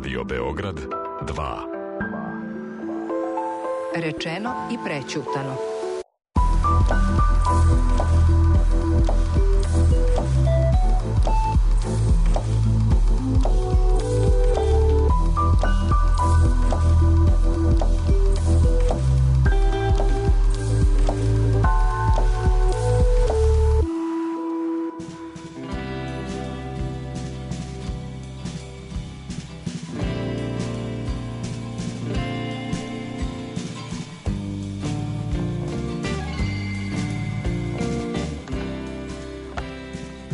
Radio Beograd 2. Rečeno i prećutano.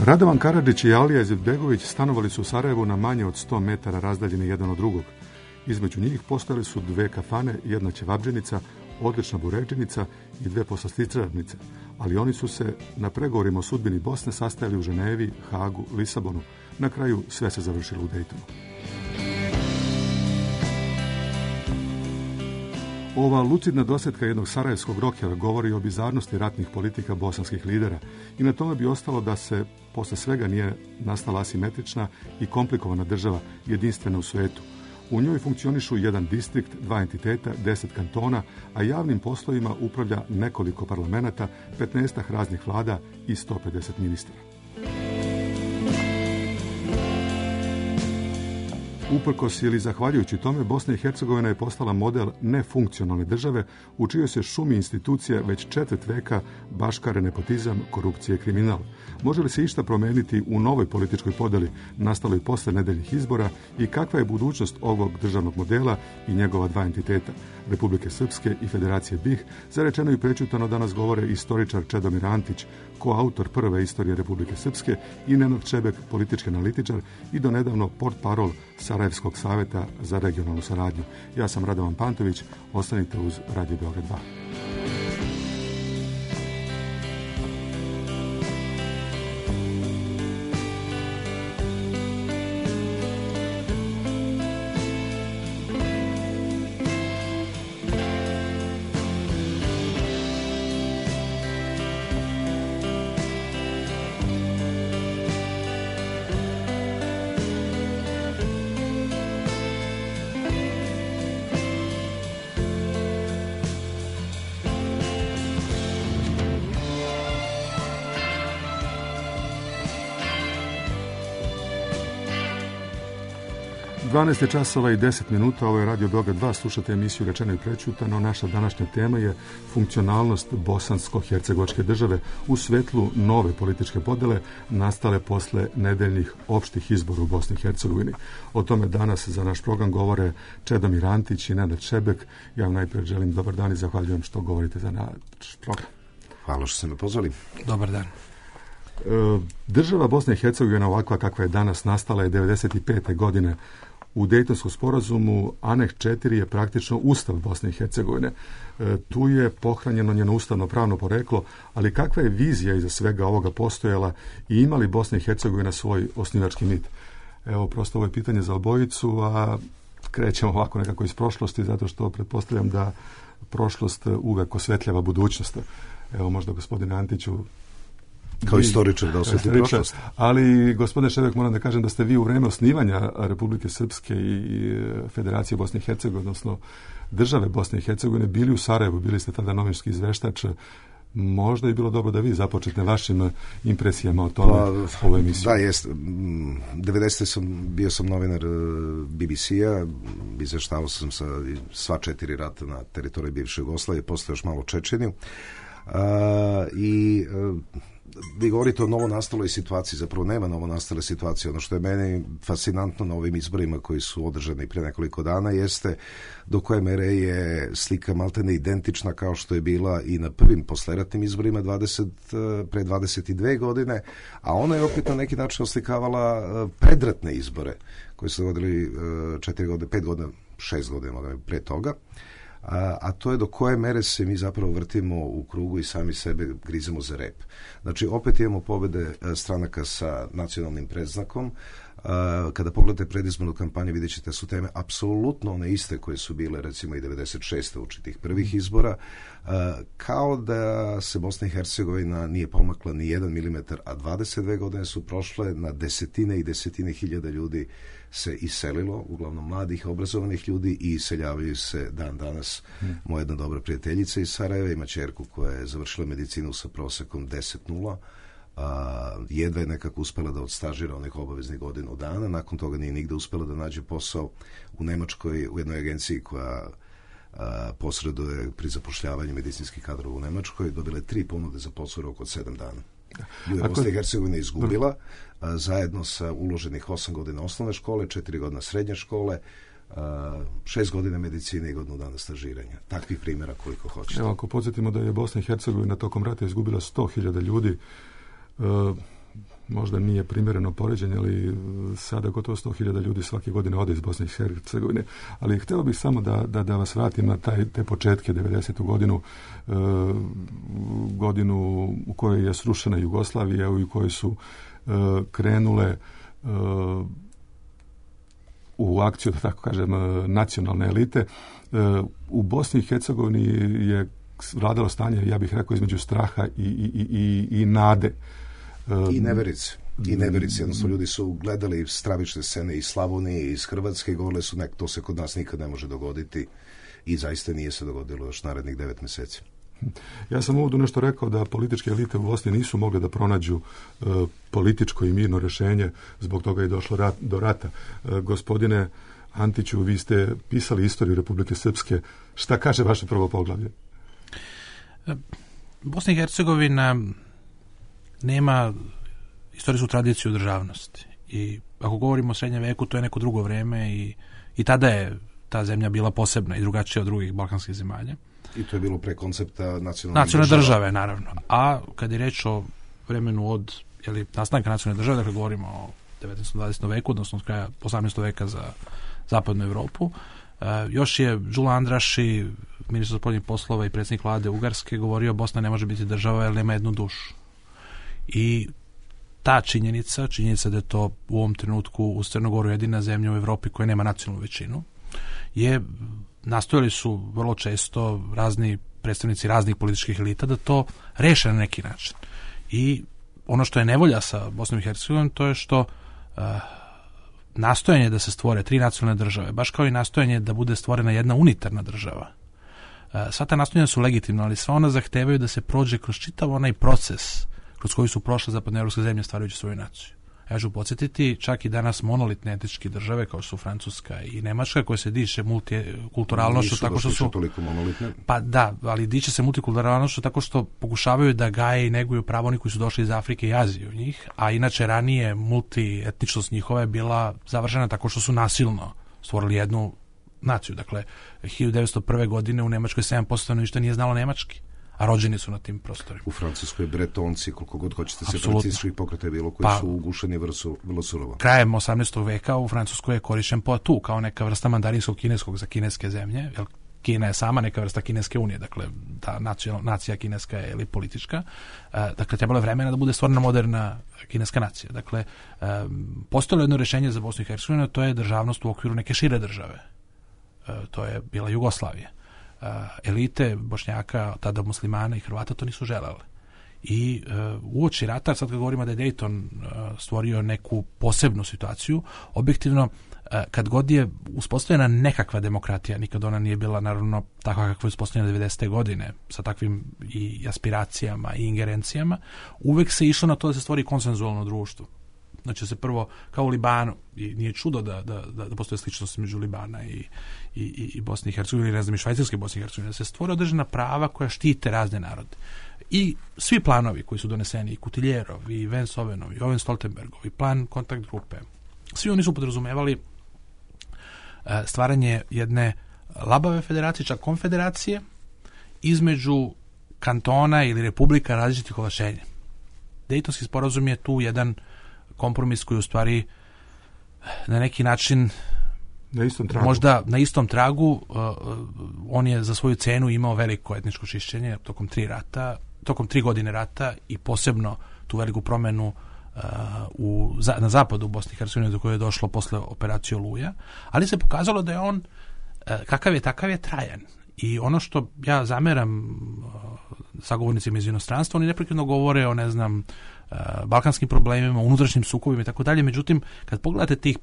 Radovan Karadžić i Alija Izetbegović stanovali su u Sarajevu na manje od 100 metara razdaljeni jedan od drugog. Između njih postojale su 2 kafane, jedna ćevabdženica, odlična buređenica i 2 poslastičarnice, ali oni su se na pregovorima o sudbini Bosne sastajali u Ženevi, Hagu, Lisabonu. Na kraju sve se završilo u Dejtonu. Ova lucidna dosjetka jednog sarajevskog rokera govori o bizarnosti ratnih politika bosanskih lidera i na tome bi ostalo da se posle svega nije nastala asimetrična i komplikovana država, jedinstvena u svetu. U njoj funkcionišu jedan distrikt, 2 entiteta, 10 kantona, a javnim poslovima upravlja nekoliko parlamenata, 15 raznih vlada i 150 ministara. Uprkos ili zahvaljujući tome, Bosna i Hercegovina je postala model nefunkcionalne države u čijoj se šumi institucija već 4 veka baškare nepotizam, korupcija i kriminal. Može li se išta promijeniti u novoj političkoj podeli nastaloj posle nedeljnih izbora i kakva je budućnost ovog državnog modela i njegova 2 entiteta, Republike Srpske i Federacije BiH, zarečeno i prećutano danas govore istoričar Čedomir Antić, koautor prve istorije Republike Srpske, i Nenad Čebek, politički analitičar i donedavno portparol Sarajevskog savjeta za regionalnu saradnju. Ja sam Radovan Pantović, ostanite uz Radio Beograd 2. 12 časova i 10 minuta, ovo je Radio Beograd 2, slušate emisiju Rečeno i prećutano. Naša današnja tema je funkcionalnost bosansko-hercegovačke države u svetlu nove političke podele nastale posle nedeljnih opštih izbora u Bosni i Hercegovini. O tome danas za naš program govore Čedomir Antić i Nenad Čebek. Ja vam najprije želim dobar dan i zahvaljujem što govorite za naš program. Hvala što ste me pozvali. Dobar dan. Država Bosne i Hercegovine ovakva kakva je danas nastala je 1995. godine. U Dejtonskom sporazumu Aneks 4 je praktično Ustav Bosne i Hercegovine. Tu je pohranjeno njeno ustavno pravno poreklo, ali kakva je vizija iza svega ovoga postojala i ima li Bosna i Hercegovina svoj osnivački mit? Evo, prosto ovo je pitanje za obojicu, a krećemo ovako nekako iz prošlosti, zato što pretpostavljam da prošlost uvek osvetljava budućnost. Evo, možda gospodine Antiću, kao istoričar da osveti prošlost. Ali, gospodine Šebek, moram da kažem da ste vi u vreme osnivanja Republike Srpske i Federacije Bosne i Hercegovine, odnosno države Bosne i Hercegovine, bili u Sarajevu, bili ste tada novinski izveštač. Možda je bilo dobro da vi započete vašim impresijama o tome ovoj emisiji. Da, jest. 90. bio sam novinar BBC-a, izveštavao sam sa sva 4 rata na teritoriji bivše Jugoslavije, posle još malo Čečeniju. Vi govorite o novonastaloj situaciji, zapravo nema novonastale situacije. Ono što je meni fascinantno na ovim izborima koji su održani prije nekoliko dana jeste do koje mere je slika maltene identična kao što je bila i na prvim posleratnim izborima pre 22 godine, a ona je opet na neki način oslikavala predratne izbore koji su dogodili 4 godine, 5 godina, 6 godina pre toga. A to je do koje mere se mi zapravo vrtimo u krugu i sami sebe grizemo za rep. Znači, opet imamo pobjede stranaka sa nacionalnim predznakom, Kada pogledate predizbornu kampanju, vidjet ćete su teme apsolutno one iste koje su bile recimo i 96. uoči tih prvih izbora, kao da se Bosna i Hercegovina nije pomakla ni 1 milimetar, a 22 godine su prošle, na desetine i desetine hiljada ljudi se iselilo, uglavnom mladih, obrazovanih ljudi, i iseljavaju se dan danas. Moja jedna dobra prijateljica iz Sarajeva ima ćerku koja je završila medicinu sa prosekom 10.0, jedva je nekako uspela da odstažira onih obaveznih godinu dana, nakon toga nije nigde uspela da nađe posao u Nemačkoj, u jednoj agenciji koja posreduje pri zapošljavanju medicinskih kadrova u Nemačkoj, dobila je 3 ponude za posao u roku od 7 dana. Bosna i Hercegovina izgubila zajedno sa uloženih 8 godina osnovne škole, 4 godina srednje škole, 6 godina medicine i godinu dana stažiranja. Takvih primjera koliko hoćete. Evo, ako podsjetimo da je Bosna i Hercegovina tokom rata izgubila 100.000 ljudi, možda nije primjereno poređenje, ali sada gotovo 100.000 ljudi svake godine ode iz Bosne i Hercegovine. Ali htio bih samo da vas vratim na te početke, 90. godinu u kojoj je srušena Jugoslavija, u kojoj su krenule u akciju, da tako kažem, nacionalne elite. U Bosni i Hercegovini je vladalo stanje, ja bih rekao, između straha i nade. I neverice. Jednostavno, ljudi su gledali stravične scene iz Slavonije, iz Hrvatske, i govorili su, to se kod nas nikad ne može dogoditi, i zaista nije se dogodilo još narednih 9 mjeseci. Ja sam ovdje nešto rekao da političke elite u Bosni nisu mogle da pronađu političko i mirno rješenje, zbog toga je došlo do rata. Gospodine Antiću, vi ste pisali istoriju Republike Srpske. Šta kaže vaše prvo poglavlje? Bosna i Hercegovina nema istorijsku tradiciju državnosti. I ako govorimo o srednjem veku, to je neko drugo vrijeme, i tada je ta zemlja bila posebna i drugačija od drugih balkanskih zemalja. I to je bilo pre koncepta nacionalne države, naravno. A kad je reč o vremenu od nastanka nacionalne države, dakle govorimo o 19. 20. veku, odnosno od kraja 18. veka za zapadnu Evropu, još je Đula Andraši, ministar spoljnih poslova i predsjednik vlade Ugarske, govorio Bosna ne može biti država jer nema jednu dušu. I ta činjenica da je to u ovom trenutku uz Crnogoru jedina zemlja u Evropi koja nema nacionalnu većinu, nastojali su vrlo često razni predstavnici raznih političkih elita da to reše na neki način. I ono što je nevolja sa Bosnom i Hercegovinom, to je što nastojanje da se stvore 3 nacionalne države, baš kao i nastojanje da bude stvorena jedna unitarna država, sva ta nastojanja su legitimna, ali sva ona zahtevaju da se prođe kroz čitav onaj proces kroz koji su prošle zapadnoevropske zemlje stvarajući svoju naciju. Ja ću podsjetiti, čak i danas monolitne etničke države kao što su Francuska i Nemačka, koje se diče multikulturalnošću tako što su toliko monolitne. Pa da, ali diče se multikulturalnošću tako što pokušavaju da gaje i neguju pravo oni koji su došli iz Afrike i Azije u njih, a inače ranije multietničnost njihova je bila završena tako što su nasilno stvorili jednu naciju. Dakle, 1901. godine u Nemačkoj 7% stanovništva nije znalo nemački, a rođeni su na tim prostorima. U Francuskoj Bretonci, koliko god hoćete, separatističkih pokreta je bilo, koji su ugušeni vrlo surovo. Krajem 18. veka u Francuskoj je korišćen Poitou kao neka vrsta mandarinskog kineskog za kineske zemlje, jer Kina je sama neka vrsta kineske unije, dakle ta nacija kineska je politička, dakle trebalo je vremena da bude stvorena moderna kineska nacija. Dakle, postojalo jedno rješenje za Bosnu i Hercegovinu, to je državnost u okviru neke šire države. To je bila Jugoslavija. Elite Bošnjaka, tada muslimana i Hrvata to nisu želele. I uoči rata, sad kad govorimo da je Dayton stvorio neku posebnu situaciju, objektivno, kad god je uspostavljena nekakva demokratija, nikad ona nije bila naravno takva kakva je uspostavljena 90. godine, sa takvim i aspiracijama i ingerencijama, uvek se išlo na to da se stvori konsenzualno društvo. Znači se prvo, kao u Libanu, i nije čudo da postoje sličnosti među Libana i Bosne i Hercegovine, ne znam, i Švajcarske Bosne i Hercegovine, da se stvore određena prava koja štite razne narode. I svi planovi koji su doneseni, i Kutiljerov, i Vensovenov, i Oven Stoltenbergov, i plan kontakt grupe, svi oni su podrazumevali stvaranje jedne labave federacije, čak konfederacije, između kantona ili republika različitih ovlašćenja. Dejtonski sporazum je tu jedan kompromis koji u stvari na neki način možda na istom tragu, on je za svoju cenu imao veliko etničko čišćenje tokom 3 godine rata i posebno tu veliku promenu na zapadu u Bosni i Hercegovini do koje je došlo posle operacije Oluja, ali se pokazalo da je on kakav je, takav je trajan. I ono što ja zameram sagovornicima iz inostranstva, oni neprekidno govore o, ne znam, balkanskim problemima, unutrašnjim sukobima i tako dalje, međutim, kad pogledate tih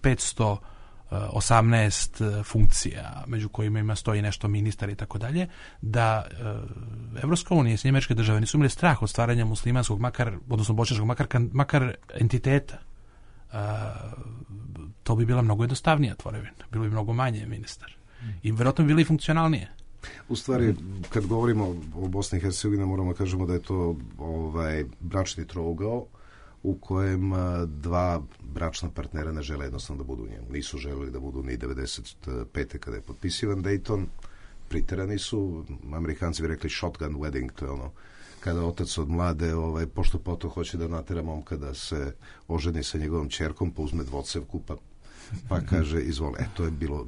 518 funkcija, među kojima ima stoji nešto ministar i tako dalje, da Evropska unija i Sjedinjene Američke Države nisu imali strah od stvaranja muslimanskog, odnosno bošnjačkog, makar entiteta, to bi bila mnogo jednostavnija tvorevina, bilo bi mnogo manje ministar. I vjerojatno bi bili funkcionalnije. U stvari, kad govorimo o Bosni i Hercegovini, moramo kažemo da je to bračni trougao u kojem dva bračna partnera ne žele jednostavno da budu u njemu. Nisu želeli da budu ni 95. kada je potpisivan Dayton, priterani su, Amerikanci bi rekli shotgun wedding, to je ono kada otac od mlade pošto poto hoće da natera momka da se oženi sa njegovom ćerkom, pa uzme dvocevku, pa kaže izvoli. To je bilo,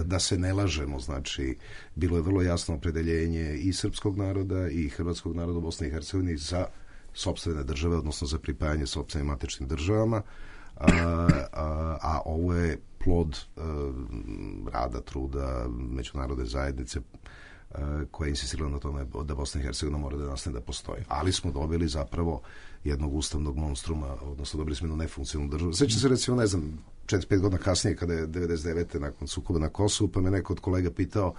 da se ne lažemo, znači bilo je vrlo jasno opredeljenje i srpskog naroda i hrvatskog naroda u Bosni i Hercegovini za sopstvene države, odnosno za pripajanje sopstvenim matičnim državama, a ovo je plod rada, truda međunarodne zajednice koja je insistirala na tome da Bosna i Hercegovina mora da nastane da postoji. Ali smo dobili zapravo jednog ustavnog monstruma, odnosno dobili smo jednu nefunkcionalnu državu. Sjećam se recimo, ne znam, 4-5 godina kasnije, kada je 99. nakon sukoba na Kosovu, pa me neko od kolega pitao,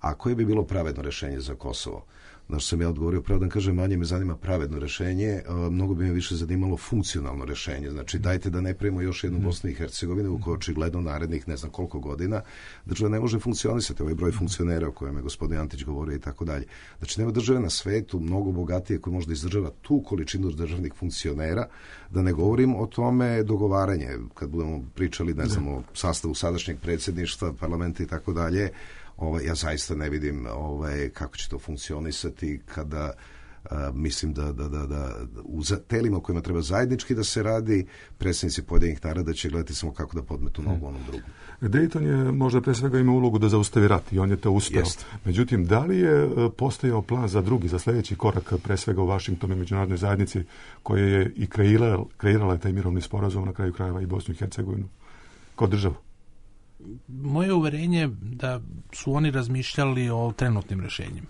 a koje bi bilo pravedno rješenje za Kosovo? Znači sam ja odgovorio, pravo da kažem, manje me zanima pravedno rješenje, mnogo bi me više zanimalo funkcionalno rješenje. Znači dajte da ne pravimo još jednu Bosnu i Hercegovinu u kojoj očigledno narednih ne znam koliko godina država ne može funkcionisati, ovaj broj funkcionera o kojem je gospodin Antić govorio i tako dalje. Znači nema države na svetu mnogo bogatije koje možda izdržava tu količinu državnih funkcionera, da ne govorim o tome dogovaranje, kad budemo pričali, ne znam, o sastavu sadašnjeg predsjedništva, parlamenta i tako dalje. Ja zaista ne vidim kako će to funkcionisati kada mislim da u telima u kojima treba zajednički da se radi, predsjednici pojedinih naroda će gledati samo kako da podmetu nogu onom drugom. Dayton je možda pre svega imao ulogu da zaustavi rat i on je to uspeo. Jest. Međutim, da li je postojao plan za sljedeći korak, pre svega u Vašingtonu i međunarodnoj zajednici, koja je i kreirala taj mirovni sporazum, na kraju krajeva i Bosnu i Hercegovinu kao državu? Moje uverenje da su oni razmišljali o trenutnim rješenjima.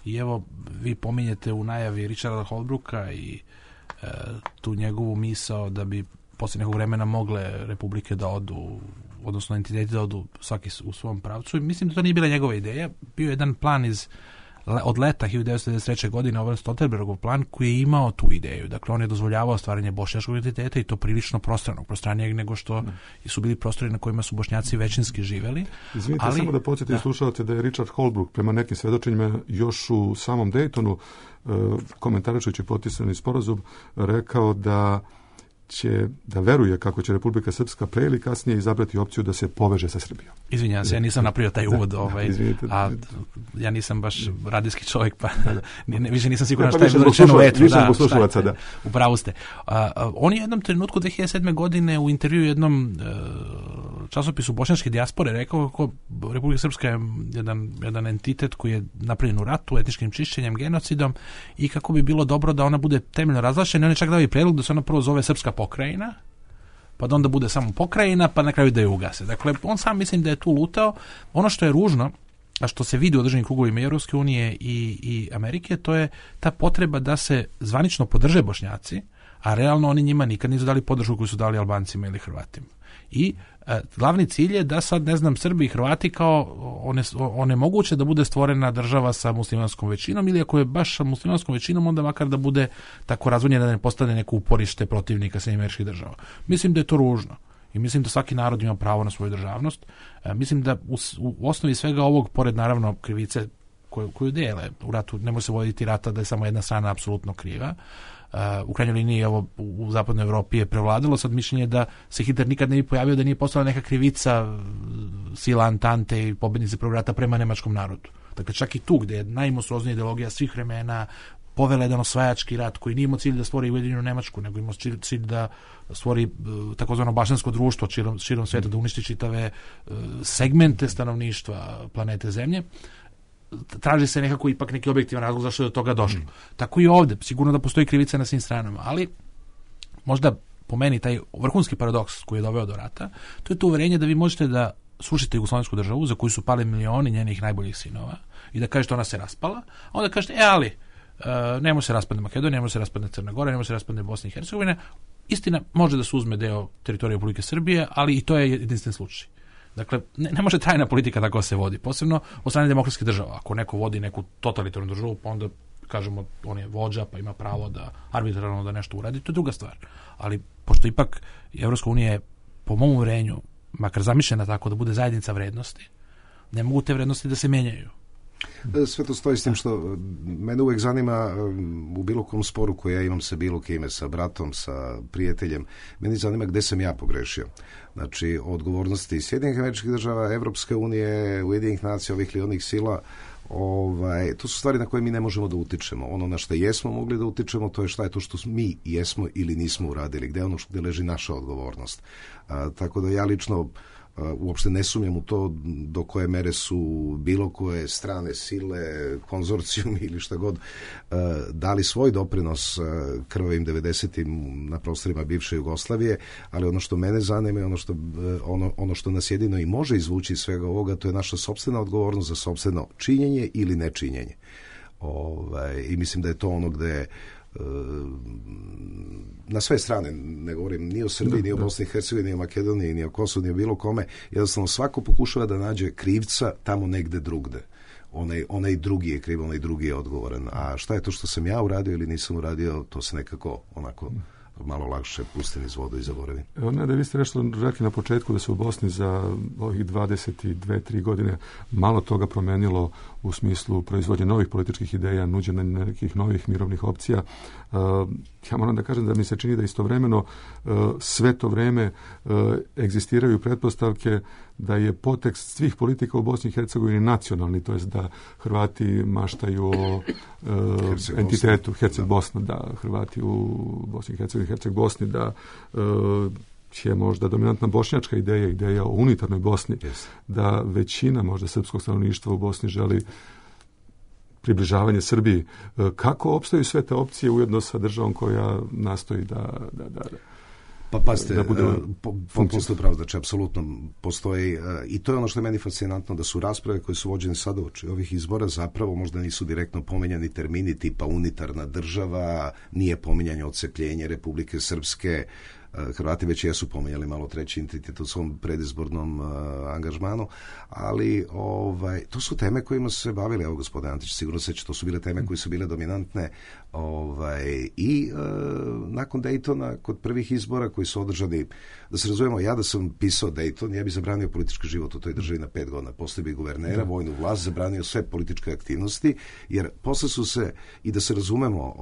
I evo, vi pominjete u najavi Richarda Holbrooka i tu njegovu misao da bi poslije nekog vremena mogle republike da odu, odnosno entiteti da odu svaki u svom pravcu. I mislim da to nije bila njegova ideja. Bio je jedan plan od leta 1993. godine, ovaj Stoltenbergov plan, koji je imao tu ideju. Dakle, on je dozvoljavao stvaranje bošnjačkog entiteta i to prilično prostranijeg nego što su bili prostori na kojima su Bošnjaci većinski živeli. Izvinite, samo da podsjetim slušalce da je Richard Holbrooke prema nekim svedočenjima još u samom Daytonu, komentarišujući potpisani sporazum, rekao da veruje kako će Republika Srpska pre ili kasnije izabrati opciju da se poveže sa Srbijom. Izvinjavam se, ja nisam napravio taj uvod, a ja nisam baš radijski čovjek, pa više nisam siguran šta je bilo rečeno u etru. U pravu ste. On je u jednom trenutku 2007. godine u intervju jednom časopisu bošnjačke dijaspore rekao kako Republika Srpska je jedan entitet koji je napravljen u ratu, etničkim čišćenjem, genocidom i kako bi bilo dobro da ona bude temeljno razvlašćena. On je čak dao i predlog da se ona prvo zove Srpska pokrajina, pa da onda bude samo pokrajina, pa na kraju da je ugase. Dakle, on sam mislim da je tu lutao. Ono što je ružno, a što se vidi u određenim krugovima Europske unije i Amerike, to je ta potreba da se zvanično podrže Bošnjaci, a realno oni njima nikad nisu dali podršku koju su dali Albancima ili Hrvatima. I glavni cilj je da sad, ne znam, Srbi i Hrvati kao onemoguće da bude stvorena država sa muslimanskom većinom, ili ako je baš sa muslimanskom većinom, onda makar da bude tako razvojena da ne postane neko uporište protivnika Sjedinjenih Američkih Država. Mislim da je to ružno i mislim da svaki narod ima pravo na svoju državnost. Mislim da u osnovi svega ovog, pored naravno krivice koju dele u ratu, ne može se voditi rata da je samo jedna strana apsolutno kriva. U krajnjoj liniji ovo u zapadnoj Evropi je prevladalo sad mišljenje da se Hitler nikad ne bi pojavio da nije postala neka krivica sila Antante i pobednice prvog rata prema nemačkom narodu. Dakle, čak i tu gdje je najmonstruoznija ideologija svih vremena, povela jedan osvajački rat koji nije imao cilj da stvori Ujedinjenu Nemačku, nego imao cilj da stvori takozvano bašćansko društvo širom svijeta, da uništi čitave segmente stanovništva planete Zemlje. Traži se nekako ipak neki objektivan razlog zašto je do toga došlo. Tako i ovdje, sigurno da postoji krivica na svim stranama, ali možda po meni taj vrhunski paradoks koji je doveo do rata, to je to uverenje da vi možete da srušite jugoslovensku državu za koju su pali milioni njenih najboljih sinova i da kažete ona se raspala, a onda kažete, ali nemo se raspadne Makedonija, nemo se raspadne Crna Gora, nemo se raspadne Bosna i Hercegovina. Istina, može da se uzme deo teritorije Republike Srbije, ali i to je jedinstven slučaj. Dakle, ne može trajna politika tako se vodi, posebno od strane demokratskih država. Ako neko vodi neku totalitarnu državu, pa onda kažemo on je vođa, pa ima pravo da arbitrarno da nešto uradi, to je druga stvar. Ali pošto ipak Evropska unija je po mom uverenju makar zamišljena tako da bude zajednica vrednosti, ne mogu te vrednosti da se menjaju. Sve to stoji s tim što mene uvek zanima u bilo kom sporu koji ja imam sa bilo kime, sa bratom, sa prijateljem, meni zanima gde sam ja pogrešio. Znači, odgovornosti Sjedinjenih Američkih Država, Evropske unije, Ujedinjenih nacija, ovih ili onih sila, to su stvari na koje mi ne možemo da utičemo. Ono na što jesmo mogli da utičemo, to je šta je to što mi jesmo ili nismo uradili, gde je ono gde leži naša odgovornost. Tako da ja lično uopšte ne sumnjam u to do koje mere su bilo koje strane sile, konzorcijum ili šta god dali svoj doprinos krvavim 90-im na prostorima bivše Jugoslavije, ali ono što mene zanima je ono što nas jedino i može izvući iz svega ovoga, to je naša sopstvena odgovornost za sopstveno činjenje ili nečinjenje. I mislim da je to ono gde na sve strane, ne govorim ni o Srbiji, ni o Bosni i Hercegovini, ni o Makedoniji, ni o Kosovu, ni o bilo kome, jednostavno svako pokušava da nađe krivca tamo negde drugde. Onaj drugi je kriv, onaj drugi je odgovoran. A šta je to što sam ja uradio ili nisam uradio, to se nekako onako malo lakše pusti niz vodu i zaboravi. Da vi ste rekli na početku da se u Bosni za ovih 22-3 godine malo toga promenilo u smislu proizvodnje novih političkih ideja, nuđenja nekih novih mirovnih opcija. Ja moram da kažem da mi se čini da istovremeno sve to vreme egzistiraju pretpostavke da je potekst svih politika u Bosni i Hercegovini nacionalni, to jest da Hrvati maštaju o entitetu Herceg-Bosna, da Hrvati u Bosni i Hercegovini, Herceg-Bosni, da je možda dominantna bošnjačka ideja o unitarnoj Bosni, da većina možda srpskog stanovništva u Bosni želi približavanje Srbiji. Kako opstaju sve te opcije ujedno sa državom koja nastoji da Pa pazite, postoji pravo, znači apsolutno postoji i to je ono što je meni fascinantno, da su rasprave koje su vođene sada uoči ovih izbora zapravo možda nisu direktno pomenjani termini tipa unitarna država, nije pominjanje odcepljenje Republike Srpske, Hrvati već jesu pomenjali malo treći entitet u svom predizbornom angažmanu, ali to su teme kojima su se bavili, evo gospodin Antić, sigurno se to su bile teme koje su bile dominantne i nakon Daytona, kod prvih izbora koji su održani, da se razumemo, ja da sam pisao Dayton, ja bih zabranio politički život u toj državi na 5 godina, posle bi guvernera, vojnu vlast, zabranio sve političke aktivnosti, jer posle su se, i da se razumemo,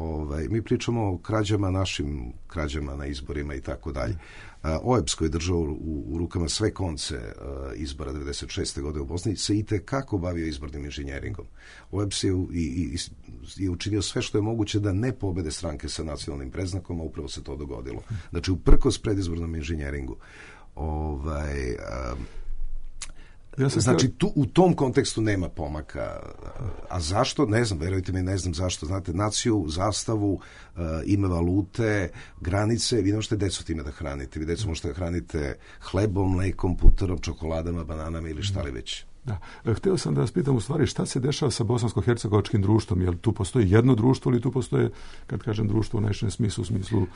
mi pričamo o krađama, našim krađama na izborima i tako dalje. OEBS koji je držao u rukama sve konce izbora 96. godine u Bosni se i tekako bavio izbornim inženjeringom. OEBS je učinio sve što je moguće da ne pobede stranke sa nacionalnim predznakom, a upravo se to dogodilo. Znači, uprkos predizbornom inženjeringu. Znači, u tom kontekstu nema pomaka. A zašto? Ne znam, verujte mi, ne znam zašto. Znate, naciju, zastavu, ime valute, granice, vi ne možete decu time da hranite. Vi decu možete da hranite hlebom, mlekom, puterom, čokoladama, bananama ili šta li već. Da. Htio sam da vas pitam u stvari šta se dešava sa bosansko-hercegovačkim društvom, jer tu postoji jedno društvo ili tu postoje, kad kažem društvo u najširem smislu, u smislu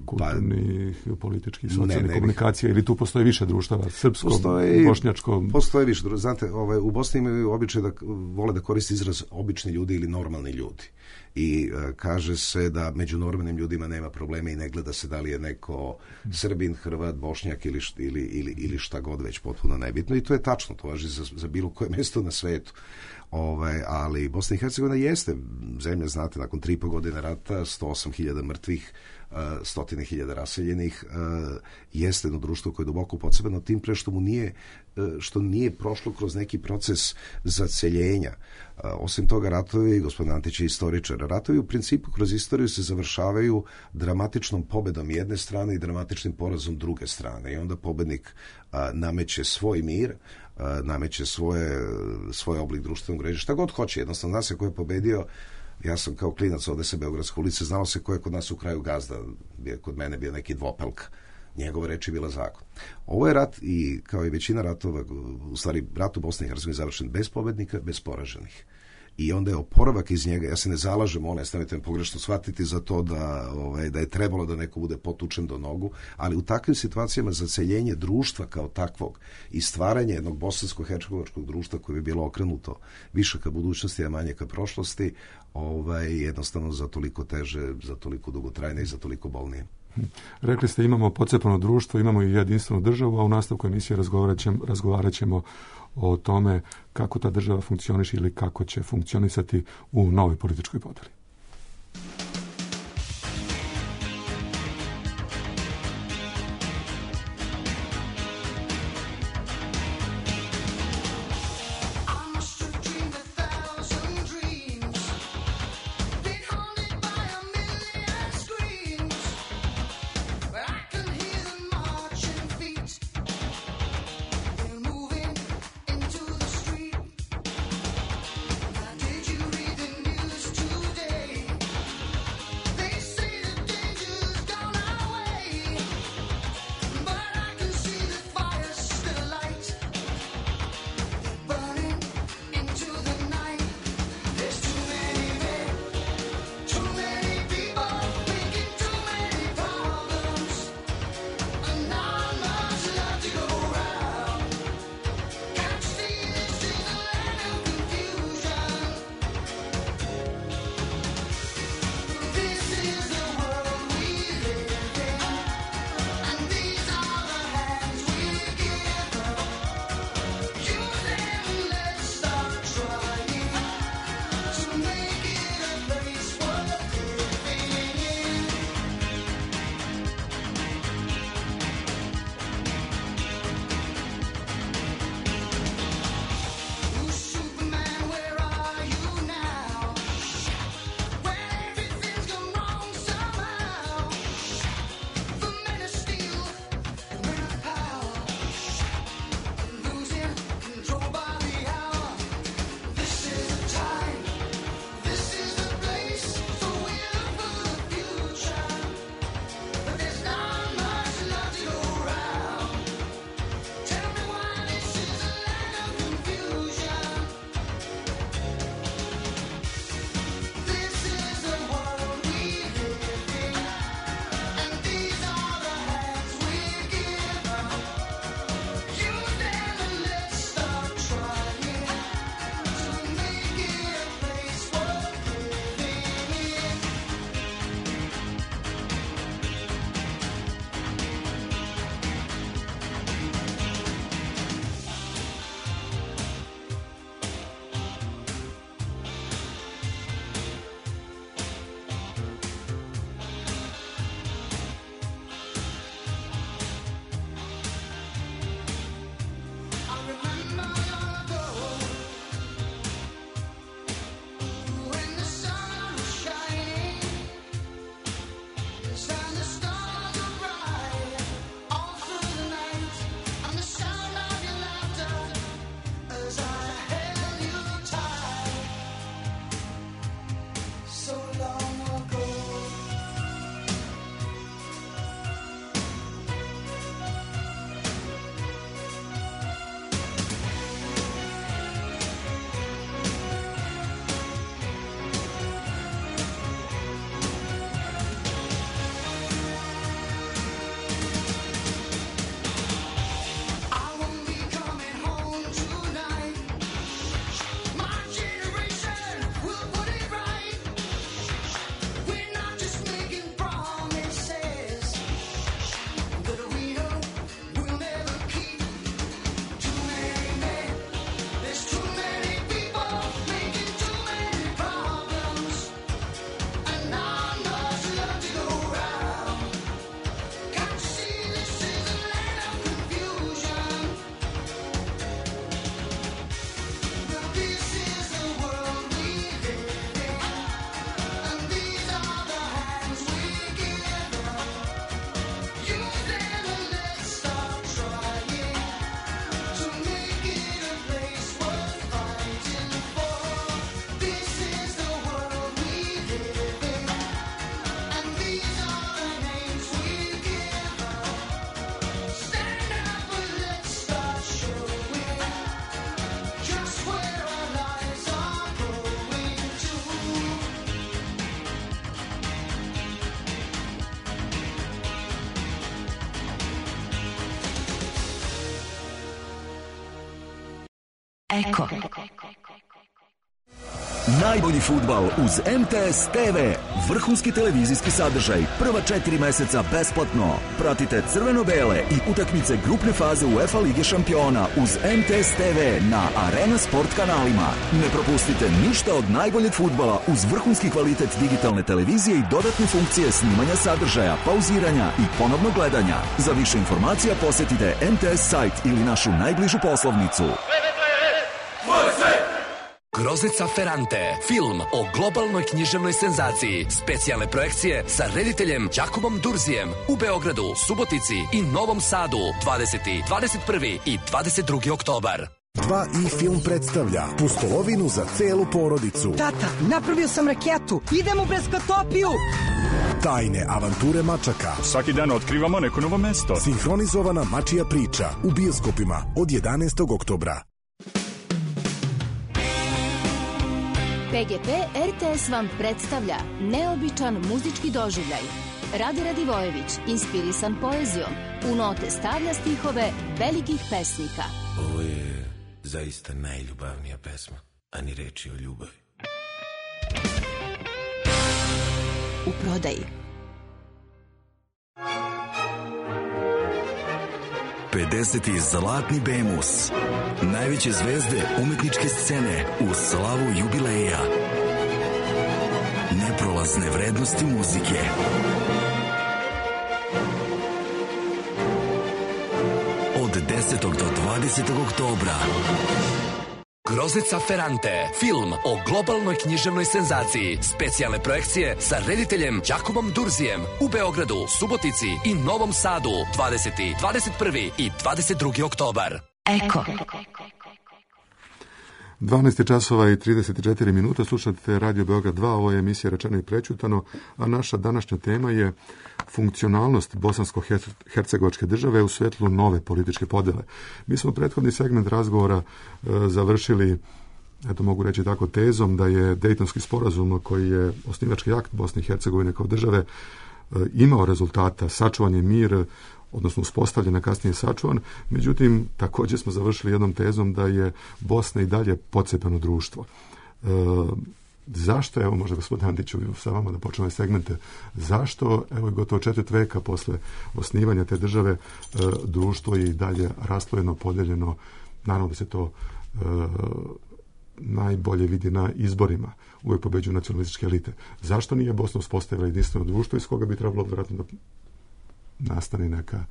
kulturnih, političkih, socijalnih komunikacija, ili tu postoje više društava, srpsko, bošnjačko? Postoje više društva. Znate, u Bosni imaju običaj da vole da koriste izraz obični ljudi ili normalni ljudi. I kaže se da među normalnim ljudima nema problema i ne gleda se da li je neko Srbin, Hrvat, Bošnjak ili šta god već, potpuno nebitno. I to je tačno, to važi za bilo koje mjesto na svetu. Ali Bosna i Hercegovina jeste zemlja, znate, nakon 3,5 godine rata, 108.000 mrtvih, 100.000 raseljenih, jeste jedno društvo koje je duboko pocepano, tim pre što nije prošlo kroz neki proces zaceljenja. Osim toga, ratovi, gospodin Antić je istoričar, ratovi u principu kroz istoriju se završavaju dramatičnom pobedom jedne strane i dramatičnim porazom druge strane. I onda pobednik nameće svoj mir, nameće svoj oblik društvenog režima, šta god hoće, jednostavno zna se ko je pobedio, Ja sam kao klinac, ovde se Beogradske ulice, znalo se ko je kod nas u kraju gazda, kod mene bio neki Dvopelka. Njegova reč je bila zakon. Ovo je rat i kao i većina ratova, u stvari rat u Bosni i Hercegovini završen bez pobednika, bez poraženih. I onda je oporavak iz njega, ja se ne zalažem, stavite me pogrešno shvatiti za to da je trebalo da neko bude potučen do nogu, ali u takvim situacijama zaceljenje društva kao takvog i stvaranje jednog bosansko-hercegovačkog društva koje bi bilo okrenuto više ka budućnosti, a manje ka prošlosti, jednostavno za toliko teže, za toliko dugotrajne i za toliko bolnije. Rekli ste imamo pocepano društvo, imamo i jedinstvenu državu, a u nastavku emisije razgovarat ćemo o tome kako ta država funkcioniše ili kako će funkcionisati u novoj političkoj podeli. Today Eko. Najbolji fudbal uz MTS TV. Vrhunski televizijski sadržaj. Prva 4 meseca besplatno. Pratite crveno-bele i utakmice grupne faze UEFA Lige šampiona uz MTS TV na Arena Sport kanalima. Ne propustite ništa od najboljeg fudbala uz vrhunski kvalitet digitalne televizije i dodatne funkcije snimanja sadržaja, pauziranja i ponovnog gledanja. Za više informacija posjetite MTS sajt ili našu najbližu poslovnicu. Groznica Ferrante, film o globalnoj književnoj senzaciji, specijalne projekcije sa rediteljem Jakobom Durzijem u Beogradu, Subotici i Novom Sadu 20., 21. i 22. oktobar. 2i film predstavlja Pustolovinu za celu porodicu. Tata, napravio sam raketu, idem u Breskotopiju! Tajne avanture mačaka. Svaki dan otkrivamo neko novo mesto. Sinhronizovana mačija priča u bioskopima od 11. oktobra. PGP RTS vam predstavlja neobičan muzički doživljaj. Rade Radivojević, inspirisan poezijom, u note stavlja stihove velikih pesnika. Ovo je zaista najljubavnija pesma, a ni reči o ljubavi. U prodaji. 50. Zlatni Bemus. Najveće zvezde umetničke scene u slavu jubileja. Neprolazne vrednosti muzike. Od 10. do 20. oktobra. Groznica Ferrante, film o globalnoj književnoj senzaciji, specijalne projekcije sa rediteljem Jakobom Durzijem u Beogradu, Subotici i Novom Sadu 20., 21. i 22. oktobar. Eko. 12 časova i 34 minuta, slušate Radio Beograd 2, ovo je emisija Rečeno i prećutano, a naša današnja tema je funkcionalnost bosansko-hercegovačke države u svetlu nove političke podele. Mi smo prethodni segment razgovora završili, eto mogu reći tako, tezom da je Dejtonski sporazum, koji je osnivački akt Bosne i Hercegovine kao države, imao rezultata, sačuvan je mir, odnosno uspostavljen, a kasnije sačuvan. Međutim, također smo završili jednom tezom da je Bosna i dalje pocepano društvo. Zašto, evo možda gospodin Antiću sa vama da počnemo segmente, zašto, evo gotovo 4 veka posle osnivanja te države, društvo je i dalje raslojeno, podeljeno, naravno da se to najbolje vidi na izborima, uvijek pobeđuju nacionalističke elite. Zašto nije Bosna uspostavila jedinstveno društvo iz koga bi trebalo vjerojatno da nastane neka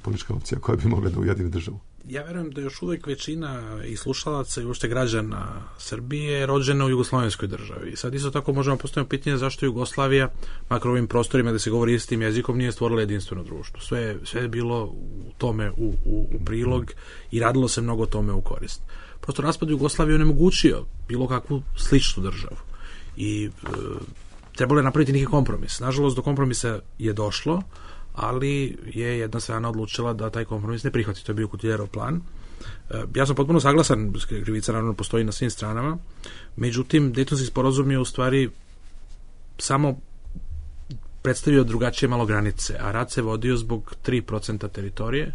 politička opcija koja bi mogla da ujedini državu? Ja verujem da još uvijek većina i slušalaca i uopšte građana Srbije je rođena u jugoslovenskoj državi. Sad isto tako možemo postaviti pitanje zašto Jugoslavija, makar u ovim prostorima da se govori istim jezikom, nije stvorila jedinstveno društvo. Sve je bilo u tome u prilog i radilo se mnogo tome u korist. Prosto raspad Jugoslavije onemogućio bilo kakvu sličnu državu i trebalo je napraviti neki kompromis. Nažalost, do kompromisa je došlo, ali je jedna strana odlučila da taj kompromis ne prihvati. To je bio Kutiljerov plan. Ja sam potpuno saglasan, krivica naravno postoji na svim stranama, međutim, Dejtonski sporazum je u stvari samo predstavio drugačije malo granice, a rat se vodio zbog 3% teritorije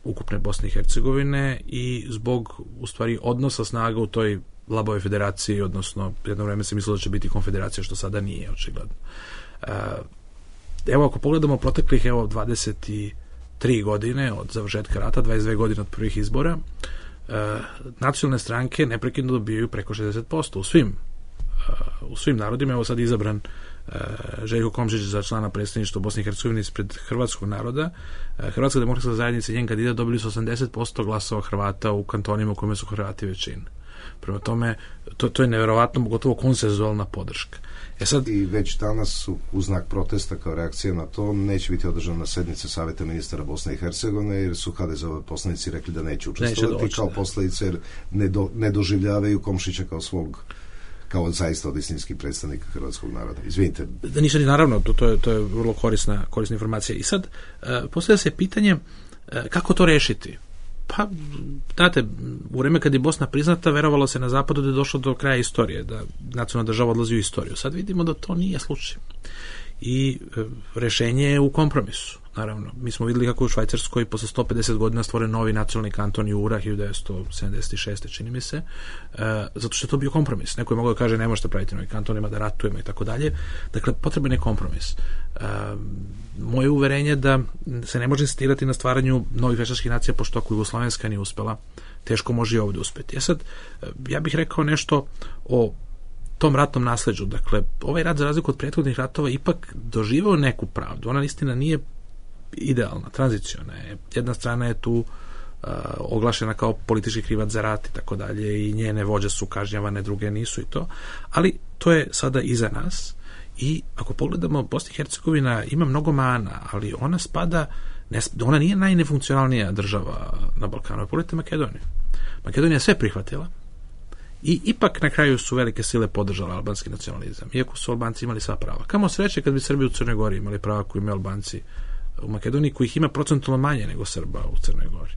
ukupne Bosne i Hercegovine i zbog, u stvari, odnosa snaga u toj labavoj federaciji, odnosno jedno vreme se mislilo da će biti konfederacija, što sada nije, očigledno. Evo, ako pogledamo proteklih 23 godine od završetka rata, 22 godine od prvih izbora, nacionalne stranke neprekidno dobijaju preko 60% u svim narodima. Evo sad izabran Željko Komšić za člana predstavništva Bosne i Hercegovine ispred hrvatskog naroda. Hrvatska demokratska zajednica i njen kandidat dobili su 80% glasova Hrvata u kantonima u kojima su Hrvati većina. Prema tome, to je nevjerovatno, gotovo konsenzualna podrška. Sad, i već danas su u znak protesta kao reakcija na to neće biti održana sednica Saveta ministara Bosne i Hercegovine, jer su HDZ-ovi poslanici rekli da neće učestvovati kao posljedice, jer ne doživljavaju Komšića kao svog, kao zaista od istinskih predstavnika hrvatskog naroda. Izvinite. Da ništa, naravno, to je vrlo korisna informacija. I sad, postavlja se pitanje kako to rešiti. Pa, znate, u vreme kad je Bosna priznata, verovalo se na zapadu da je došlo do kraja istorije, da nacionalna država odlazi u istoriju. Sad vidimo da to nije slučaj. I rešenje je u kompromisu. naravno. Mi smo vidjeli kako u Švajcarskoj posle 150 godina stvoren novi nacionalni kanton Jura 1976. čini mi se, zato što je to bio kompromis. Neko je mogao da kaže ne možete praviti novi kanton, ima da ratujemo i tako dalje. Dakle, potreban je kompromis. Moje uverenje da se ne može insistirati na stvaranju novih veštačkih nacija, pošto ako Jugoslovenska nije uspela, teško može i ovdje uspeti. Sad, ja bih rekao nešto o tom ratnom nasleđu. Dakle, ovaj rat, za razliku od prethodnih ratova, ipak doživao neku pravdu. Ona istina nije idealna, tranziciona je. Jedna strana je tu oglašena kao politički krivac za rat i tako dalje i njene vođe su kažnjavane, druge nisu i to. Ali to je sada iza nas i ako pogledamo, Bosna i Hercegovina ima mnogo mana, ali ona spada, ona nije najnefunkcionalnija država na Balkanu. Pogledajte Makedoniju. Makedonija je sve prihvatila i ipak na kraju su velike sile podržale albanski nacionalizam, iako su Albanci imali sva prava. Kamo sreće kad bi Srbi u Crnoj Gori imali prava koji imaju Albanci u Makedoniji, kojih ima procentualno manje nego Srba u Crnoj Gori.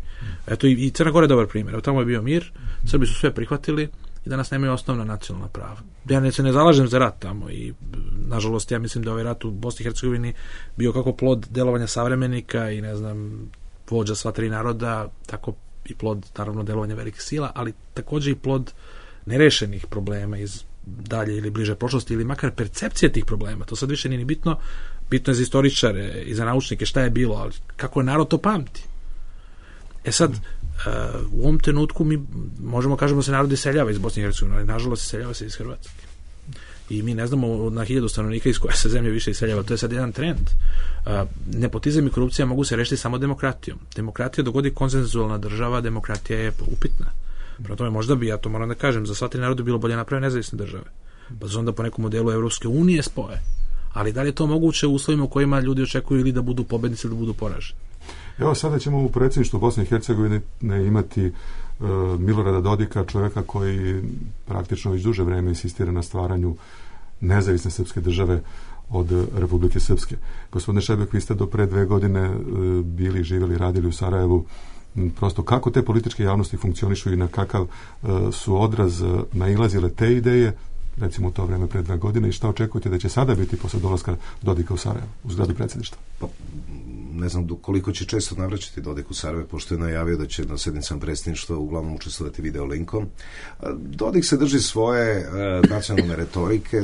Eto, i Crna Gora je dobar primjer. Evo, tamo je bio mir, Srbi su sve prihvatili i danas nemaju osnovna nacionalna prava. Ja se ne zalažem za rat tamo i, nažalost, ja mislim da ovaj rat u Bosni i Hercegovini bio kako plod delovanja savremenika i, ne znam, vođa sva tri naroda, tako i plod, naravno, delovanja velikih sila, ali također i plod nerešenih problema iz dalje ili bliže prošlosti ili makar percepcije tih problema. To sad više nije ni bitno. Bitno je za istoričare i za naučnike šta je bilo, ali kako je narod to pamti. Sad, u ovom trenutku mi možemo kažemo da se narod iseljava iz Bosne i Hercegovine, ali nažalost iseljava se iz Hrvatske. I mi ne znamo na 1000 stanovnika iz koje se zemlje više iseljava. To je sad jedan trend. Nepotizam i korupcija mogu se rešiti samo demokratijom. Demokratija dogodi konsenzualna država, demokratija je upitna. Prema tome, možda bi, ja to moram da kažem, za sva tri naroda bilo bolje napraviti nezavisne države. Pa se onda po nekom modelu Evropske unije spoje. Ali da li je to moguće u uslovima u kojima ljudi očekuju ili da budu pobednici ili da budu poraženi? Evo, sada ćemo u predsjedništvu Bosne i Hercegovine imati Milorada Dodika, čovjeka koji praktično već duže vreme insistira na stvaranju nezavisne srpske države od Republike Srpske. Gospodine Šebek, vi ste do pre 2 godine bili, živjeli, radili u Sarajevu. Prosto kako te političke javnosti funkcionišu i na kakav su odraz nailazile te ideje, recimo u to vreme pre 2 godine, i šta očekujete da će sada biti posle dolaska Dodika u Sarajevo, u zgradi predsjedništva? Pa, ne znam koliko će često navraćati Dodik u Sarajevo, pošto je najavio da će na sednicama predsjedništva uglavnom učestvovati video linkom. Dodik se drži svoje nacionalne retorike.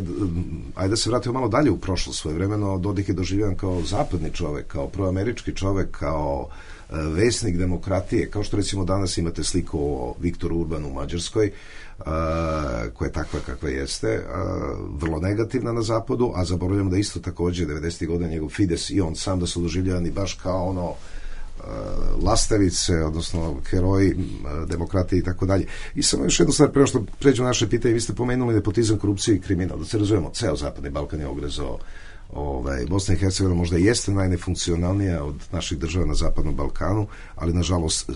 Ajde da se vratimo malo dalje u prošlost. Svojevremeno Dodik je doživljen kao zapadni čovjek, kao proamerički čovjek, kao vesnik demokratije, kao što recimo danas imate sliku o Viktoru Urbanu u Mađarskoj, koja je takva kakva jeste, vrlo negativna na zapadu, a zaboravljamo da isto također 90. godina njegov Fides i on sam da su doživljavani baš kao ono lastavice, odnosno heroji demokratije i tako dalje. I samo još jednu stvar, prema što pređemo na naše pitanje, vi ste pomenuli nepotizam, korupciju i kriminal. Da se razumemo, ceo Zapadni Balkan je ogrezao. Bosna i Hercegovina možda jeste najnefunkcionalnija od naših država na Zapadnom Balkanu, ali nažalost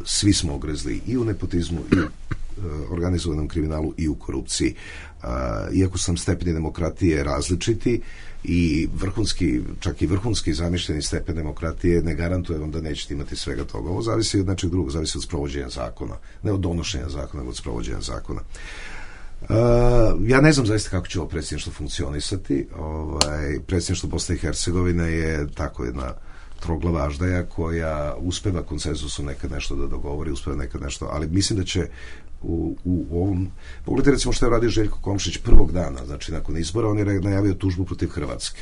svi smo ogrezli i u nepotizmu i u organizovanom kriminalu i u korupciji. Iako su nam stepeni demokratije različiti i vrhunski, čak i vrhunski zamišljeni stepen demokratije ne garantuje vam da nećete imati svega toga. Ovo zavisi od nečeg drugog, zavisi od sprovođenja zakona, ne od donošenja zakona, nego od sprovođenja zakona. Ja ne znam zaista kako će ovo predsjedništvo funkcionisati. Predsjedništvo Bosne i Hercegovine je tako jedna troglava aždaja koja uspeva konsenzusom nekad nešto da dogovori, uspeva nekad nešto, ali mislim da će u ovom... Pogledajte recimo što je radio Željko Komšić prvog dana, znači nakon izbora, on je najavio tužbu protiv Hrvatske.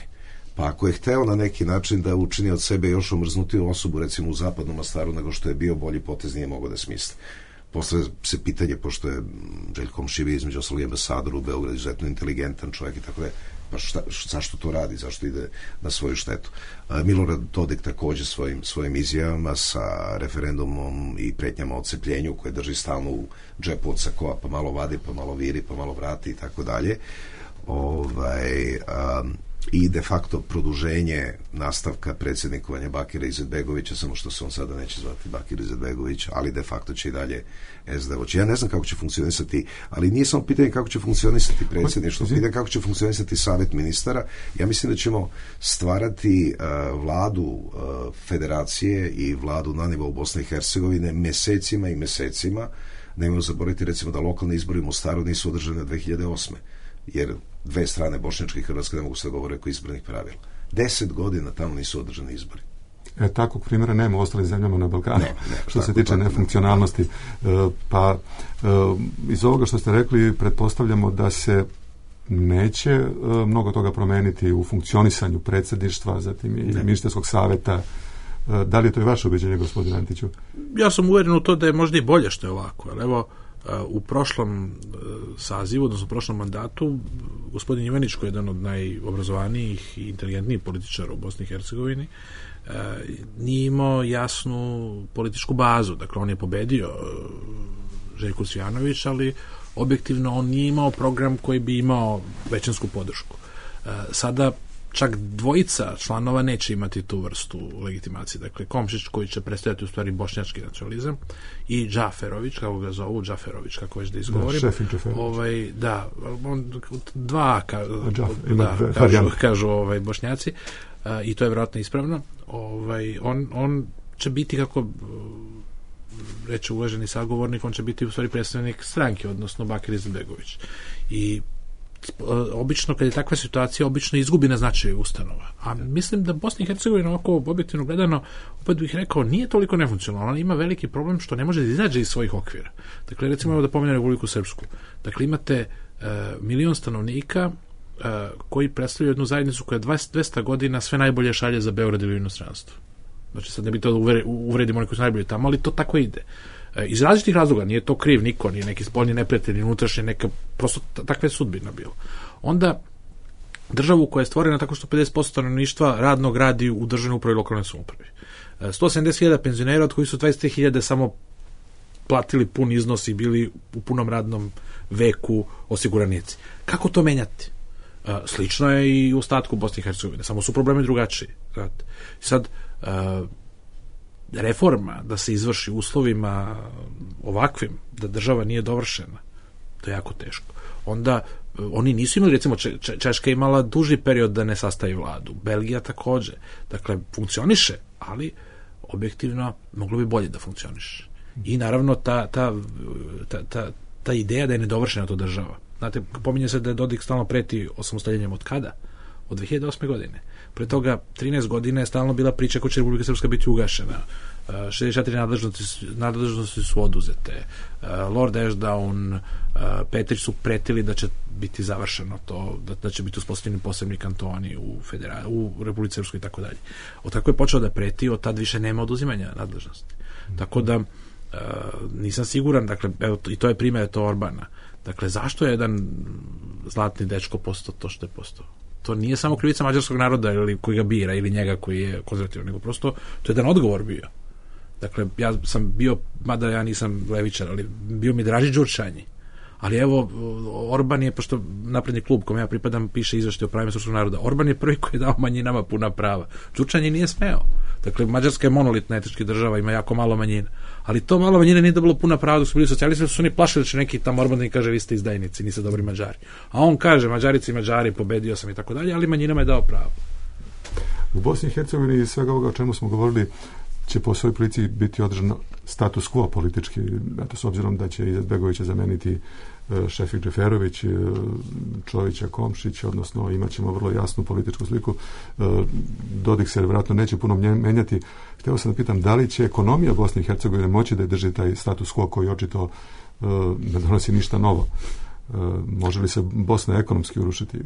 Pa ako je hteo na neki način da učini od sebe još omrznutiju osobu, recimo u Zapadnom Mostaru, nego što je bio, bolji potez nije mogao da smisli. Posle se pitanje, pošto je Željko Komšić između ostalog ambasador u Beogradu, izuzetno inteligentan čovjek i tako da, pa zašto to radi, zašto ide na svoju štetu. Milorad Dodik također svojim izjavama sa referendumom i pretnjama o odcepljenju koje drži stalno u džepu od sakoa, pa malo vadi, pa malo viri, pa malo vrati i tako dalje. I de facto produženje nastavka predsjednikovanja Bakira Izetbegovića, samo što se on sada neće zvati Bakir Izetbegović, ali de facto će i dalje SD voći. Ja ne znam kako će funkcionisati, ali nije samo pitanje kako će funkcionisati predsjedništvo, pitanje kako će funkcionisati savjet ministara. Ja mislim da ćemo stvarati vladu federacije i vladu na nivou Bosne i Hercegovine mesecima i mesecima. Nemojmo zaboraviti recimo da lokalni izbori u Mostaru nisu održani od 2008. Jer dve strane, bošnjačke i hrvatske, ne mogu se govore oko izbornih pravila. 10 godina tamo nisu održani izbori. Takvog primjera nema u ostalim zemljama na Balkanu. Ne, što se tiče nefunkcionalnosti. Pa iz ovoga što ste rekli pretpostavljamo da se neće mnogo toga promeniti u funkcionisanju predsjedništva, zatim i ministarskog savjeta. Da li je to i vaše ubeđenje, gospodine Antiću? Ja sam uvjeren u to da je možda i bolje što je ovako. Ali evo, u prošlom sazivu, odnosno u prošlom mandatu, gospodin Ivanić, koji je jedan od najobrazovanijih i inteligentnijih političara u Bosni i Hercegovini, nije imao jasnu političku bazu. Dakle, on je pobedio Željko Cvijanović, ali objektivno on nije imao program koji bi imao većinsku podršku. Sada čak dvojica članova neće imati tu vrstu legitimacije. Dakle, Komšić, koji će predstavljati u stvari bošnjački nacionalizam, i Džaferović, kako ga zovu, Džaferović, kako već da izgovorim. Kažu bošnjaci, i to je vjerojatno ispravno. On će biti, kako reče uvaženi sagovornik, on će biti u stvari predstavnik stranke, odnosno Bakir Izetbegović. I obično, kad je takva situacija, obično izgubi na značaju ustanova. A mislim da Bosna i Hercegovina, ovako objektivno gledano, opet bih rekao, nije toliko nefunkcionalna. Ona ima veliki problem što ne može da izađe iz svojih okvira. Dakle, recimo, evo da pomenem Republiku Srpsku. Dakle, imate 1 milion stanovnika koji predstavljaju jednu zajednicu koja 200 godina sve najbolje šalje za Beograd ili inostranstvo. Znači, sad ne bi to uvredimo oni koji su najbolji tamo, ali to tako ide. Iz različitih razloga, nije to kriv niko, nije neki spoljni neprijatelj, ni unutrašnje, neka, prosto takva je sudbina bila. Onda državu koja je stvorena tako što 50% stanovništva radnog radi u državnoj upravi i lokalnoj samoupravi. 170.000 penzionera, od kojih su 23.000 samo platili pun iznos i bili u punom radnom veku osiguranici. Kako to menjati? Slično je i u ostatku Bosne i Hercegovine, samo su problemi drugačiji. Sad, reforma da se izvrši uslovima ovakvim, da država nije dovršena, to je jako teško. Onda oni nisu imali, recimo Češka je imala duži period da ne sastavi vladu, Belgija također. Dakle, funkcioniše, ali objektivno moglo bi bolje da funkcioniše. I naravno ta ideja da je nedovršena to država. Znate, pominje se da je Dodik stalno preti osamostaljenjem od kada? Od 2008. godine. Pre toga 13 godina je stalno bila priča kako će Republika Srpska biti ugašena. 64 nadležnosti su oduzete. Lord Ashdown, Petrić su pretili da će biti završeno to, da će biti uspostavljeni posebni kantoni u Republici Srpskoj i tako dalje. Od kako je počeo da preti, od tad više nema oduzimanja nadležnosti. Tako da nisam siguran, dakle, evo, i to je primjer to Orbana. Dakle, zašto je jedan zlatni dečko postao to što je postao? To nije samo krivica mađarskog naroda ili koji ga bira ili njega koji je konzervativan, nego prosto to je jedan odgovor bio. Dakle, ja sam bio, mada ja nisam levičar, ali bio mi draži Đurčanji. Ali evo, Orban je, pošto napredni klub kome ja pripadam piše izveštaj o pravima srpskog naroda, Orban je prvi koji je dao manjinama puna prava. Đurčanji nije smeo. Dakle, Mađarska je monolitna etnička država, ima jako malo manjina. Ali to malo manjine nije dobilo puna prava dok su bili socijalisti, su oni plašili da će neki tamo Orban kaže vi ste izdajnici, niste dobri Mađari. A on kaže Mađarici i Mađari, pobedio sam i tako dalje, ali manjinama je dao pravo. U Bosni i Hercegovini svega ovoga o čemu smo govorili će po svojoj prilici biti održano status quo politički, s obzirom da će Izetbegovića zameniti Šefik Džeferović, Čovića Komšić, odnosno imat ćemo vrlo jasnu političku sliku. Dodik se vjerojatno neće puno menjati. Htio sam da pitam, da li će ekonomija Bosne i Hercegovine moći da drži taj status quo koji očito ne donosi ništa novo? Može li se Bosna ekonomski urušiti?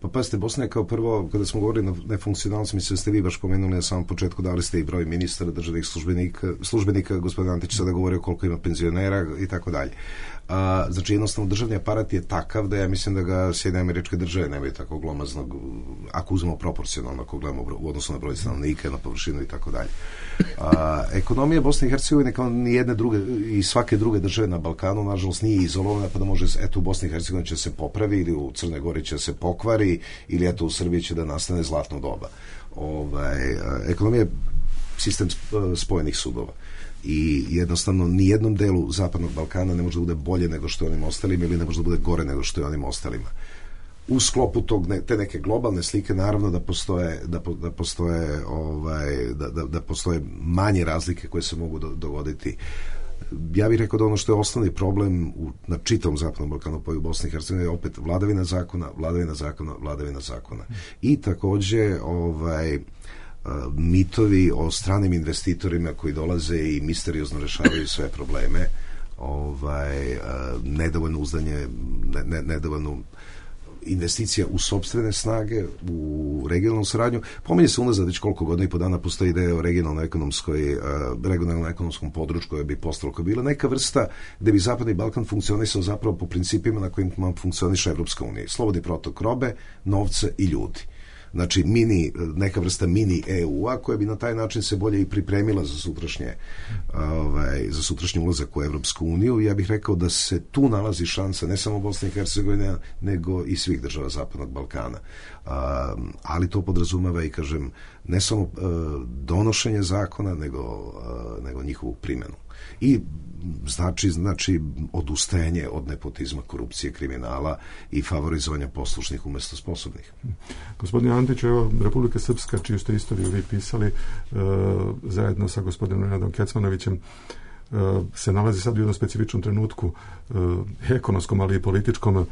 Pa pazite, Bosna je kao prvo, kada smo govorili na nefunkcionalnosti, mislim da ste vi baš pomenuli na samom početku, dali ste i broj ministara, državnih službenika, gospodin Antić sada govorio koliko ima penzionera i tako dalje. Znači, jednostavno, državni aparat je takav da ja mislim da ga Sjedinjene Američke Države nemaju tako glomaznog, ako uzmemo proporcionalno, ako gledamo u odnosu na broj stanovnika, na površinu i tako dalje. Ekonomija Bosne i Hercegovine kao ni jedne druge i svake druge države na Balkanu, nažalost, nije izolovana, pa da može, eto, u Bosni i Hercegovini će se popravi ili u Crnoj Gori će se pokvari ili eto u Srbiji će da nastane zlatno doba. Ekonomija je sistem spojenih sudova. I jednostavno nijednom delu Zapadnog Balkana ne može da bude bolje nego što je onim ostalima ili ne može da bude gore nego što je onim ostalima. U sklopu te neke globalne slike naravno da postoje manje razlike koje se mogu dogoditi ja bih rekao da ono što je osnovni problem na čitavom Zapadnom Balkanu, pa i u Bosni i Hercegovini, je opet vladavina zakona. I također mitovi o stranim investitorima koji dolaze i misteriozno rešavaju sve probleme, nedovoljno uzdanje, nedovoljno investicija u sopstvene snage, u regionalnu saradnju. Pominje se unazad već koliko godina i po dana postoji ideja o regionalno-ekonomskom području koje bi postalo, koja je bila neka vrsta gde bi Zapadni Balkan funkcionisao zapravo po principima na kojima funkcioniše Evropska unija. Slobodni protok robe, novca i ljudi. Znači, neka vrsta mini EU-a koja bi na taj način se bolje i pripremila za sutrašnji ulazak u Evropsku uniju. Ja bih rekao da se tu nalazi šansa ne samo Bosne i Hercegovine, nego i svih država Zapadnog Balkana. Ali to podrazumeva i, kažem, ne samo donošenje zakona, nego njihovu primjenu. I znači odustajanje od nepotizma, korupcije, kriminala i favorizovanja poslušnih umjesto sposobnih. Gospodine Antiću, evo, Republika Srpska, čiju ste istoriju vi pisali, zajedno sa gospodinom Nenadom Kecmanovićem, se nalazi sad u jednom specifičnom trenutku, ekonomskom, ali i političkom.